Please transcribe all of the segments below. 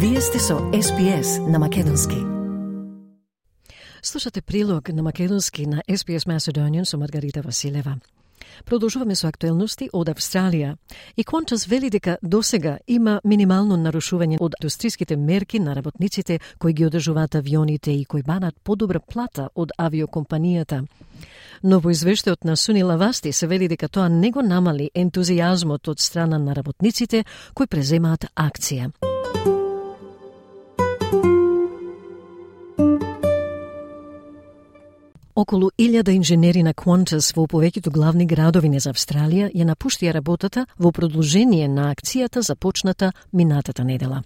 Вие сте со SPS на Македонски. Слушате прилог на Македонски на SPS Macedonian со Маргарита Василева. Продолжуваме со актуелности од Австралија. И Qantas вели дека досега има минимално нарушување од индустриските мерки на работниците кои ги одржуваат авионите и кои бараат подобра плата од авиокомпанијата. Но во извештајот на Sunila Vasti се вели дека тоа не го намали ентузијазмот од страна на работниците кои преземаат акција. Околу 1000 инженери на Qantas во повеќето главни градови на Австралија ја напуштија работата во продолжение на акцијата започната минатата недела.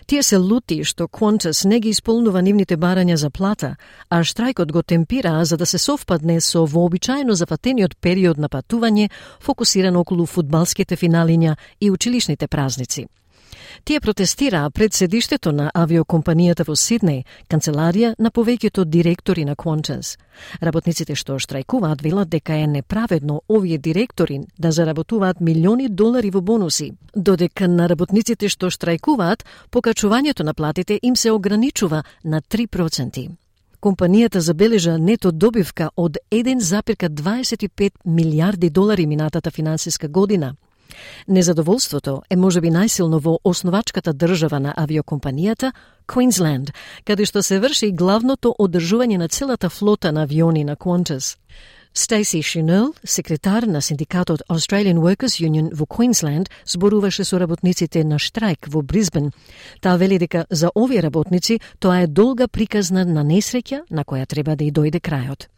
Тие се лути што Qantas не ги исполнува нивните барања за плата, а штрајкот го темпира за да се совпадне со вообичаено зафатениот период на патување фокусиран околу фудбалските финалиња и училишните празници. Тие протестираа пред седиштето на авиокомпанијата во Сиднеј, канцеларија на повеќето директори на Qantas. Работниците што штрајкуваат велат дека е неправедно овие директори да заработуваат милиони долари во бонуси, додека на работниците што штрајкуваат покачувањето на платите им се ограничува на 3%. Компанијата забележа нето добивка од 1,25 милиарди долари минатата финансиска година. Незадоволството е можеби најсилно во основачката држава на авиокомпанијата, Queensland, каде што се врши главното одржување на целата флота на авиони на Qantas. Stacey Chenell, секретар на синдикатот Australian Workers Union во Queensland, зборуваше со работниците на штрајк во Брисбен. Таа вели дека за овие работници тоа е долга приказна на несреќа на која треба да и дојде крајот.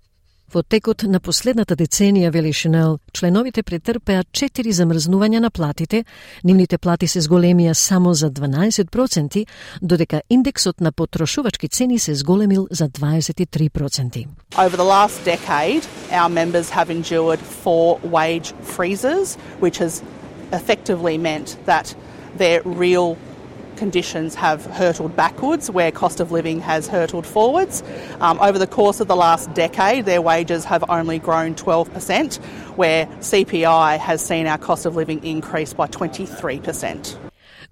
Во текот на последната деценија, вели Chenell, членовите претрпеа 4 замрзнувања на платите, нивните плати се зголемија само за 12%, додека индексот на потрошувачки цени се зголемил за 23%. Over the last decade, our members have endured 4 wage freezes, which has effectively meant that their real conditions have hurtled backwards, where cost of living has hurtled forwards. Over the course of the last decade, their wages have only grown 12%, where CPI has seen our cost of living increase by 23%.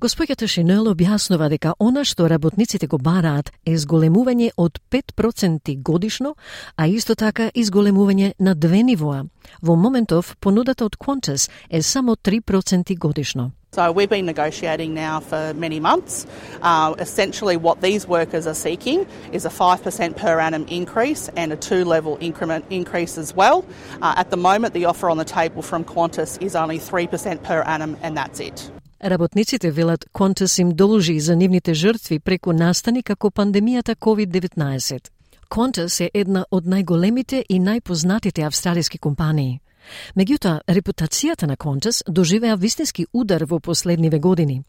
Госпоѓата Chenell објаснува дека она што работниците го бараат е зголемување од 5% годишно, а исто така и зголемување на 2 нивоа. Во моментов, понудата од Qantas е само 3% годишно. So we've been negotiating now for many months. Essentially what these workers are seeking is a 5% per annum increase and a 2-level increment increase as well. At the moment, the offer on the table from Qantas is only 3% per annum and that's it. Работниците велат Qantas им должи за нивните жртви преку настани како пандемијата COVID-19. Qantas е една од најголемите и најпознатите австралиски компании. Меѓутоа, репутацијата на Qantas доживеа вистински удар во последниве години.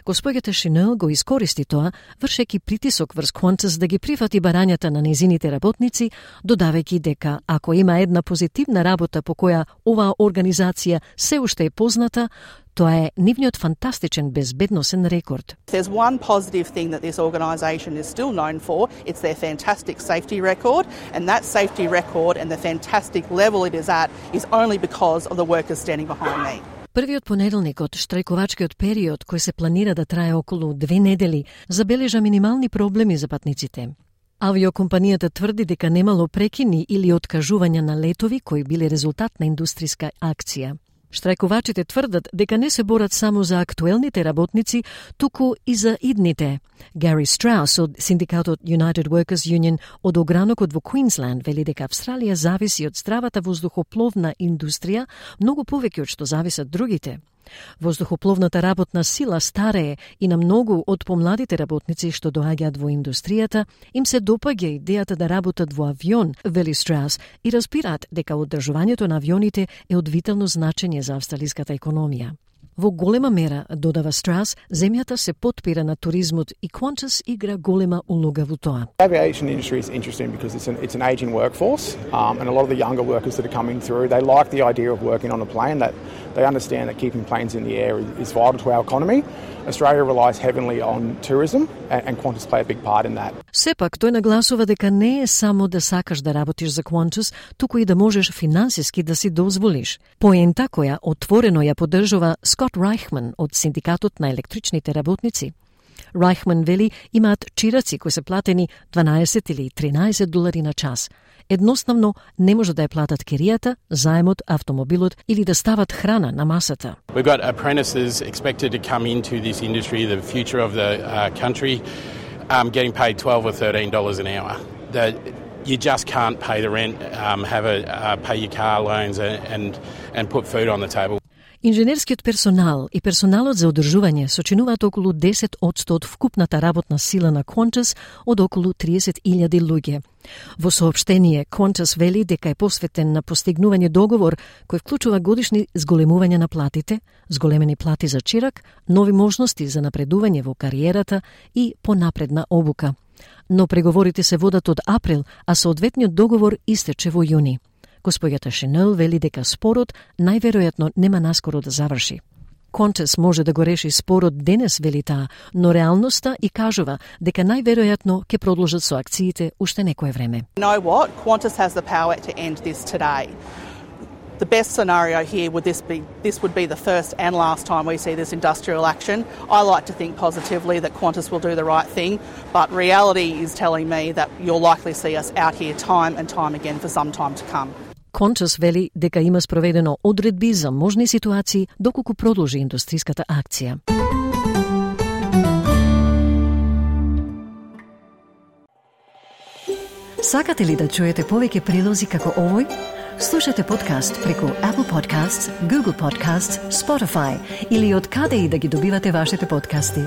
Госпоѓата Chenell го искористи тоа, вршејќи притисок врз Qantas да ги прифати барањата на незините работници, додавајќи дека ако има една позитивна работа по која оваа организација се уште е позната, тоа е нивниот фантастичен безбедносен рекорд. There's one positive thing that this organisation is still known for. It's their fantastic safety record, and that safety record and the fantastic level it is at is only because of the workers standing behind me. Првиот понеделник од штрајковачкиот период, кој се планира да трае околу 2 недели, забележа минимални проблеми за патниците. Авиокомпанијата тврди дека немало прекини или откажувања на летови кои биле резултат на индустриска акција. Штрајковачите тврдат дека не се борат само за актуелните работници, туку и за идните. Гари Страус од синдикатот United Workers Union од огранокот во Queensland вели дека Австралија зависи од здравата воздухопловна индустрија многу повеќе од што зависат другите. Воздухопловната работна сила старее и на многу од помладите работници што доаѓаат во индустријата им се допаѓа идејата да работат во авион, вели Страус, и разбираат дека одржувањето на авионите е од витално значење за австралиската економија. Во голема мера, додава Страус, земјата се потпира на туризмот и Qantas игра голема улога во тоа. The aviation industry is interesting because it's an aging workforce, and a lot of the younger workers that are coming through, they like the idea of working on a plane, that they understand that keeping planes in the air is vital to our economy. Australia relies heavily on tourism, and Qantas play a big part in that. Сепак, тој нагласува дека не е само да сакаш да работиш за Qantas, туку и да можеш финансиски да си дозволиш. Поента која отворено ја поддржува Скот Райхман од синдикатот на електричните работници. Райхман вели имаат чираци кои се платени 12 или 13 долари на час. Едноставно не може да ја платат киријата, заемот, автомобилот или да стават храна на масата. We've got apprentices expected to come into this industry, the future of the country, getting paid $12 or $13 an hour. You just can't pay the rent, pay your car loans and put food on the table. Инженерскиот персонал и персоналот за одржување сочинуваат околу 10% од вкупната работна сила на Qantas од околу 30,000 луѓе. Во соопштение, Qantas вели дека е посветен на постигнување договор кој вклучува годишни зголемување на платите, зголемени плати за чирак, нови можности за напредување во кариерата и понапредна обука. Но преговорите се водат од април, а соодветниот договор истече во јуни. Господјата Шинел вели дека спорот најверојатно нема наскоро да заврши. Qantas може да го реши спорот денес, вели таа, но реалноста и кажува дека најверојатно ќе продолжат со акциите уште некое време. You know what? Qantas has the power to end this today. The best scenario here this would be the first and last time we see this industrial action. I like to think positively that Qantas will do the right thing, but reality is telling me that you'll likely see us out here time and time again for some time to come. Qantas вели дека има спроведено одредби за можни ситуации доколку продолжи индустриската акција. Сакате ли да чуете повеќе прилози како овој? Слушате подкаст преку Apple Podcasts, Google Podcasts, Spotify или од каде и да ги добивате вашите подкасти.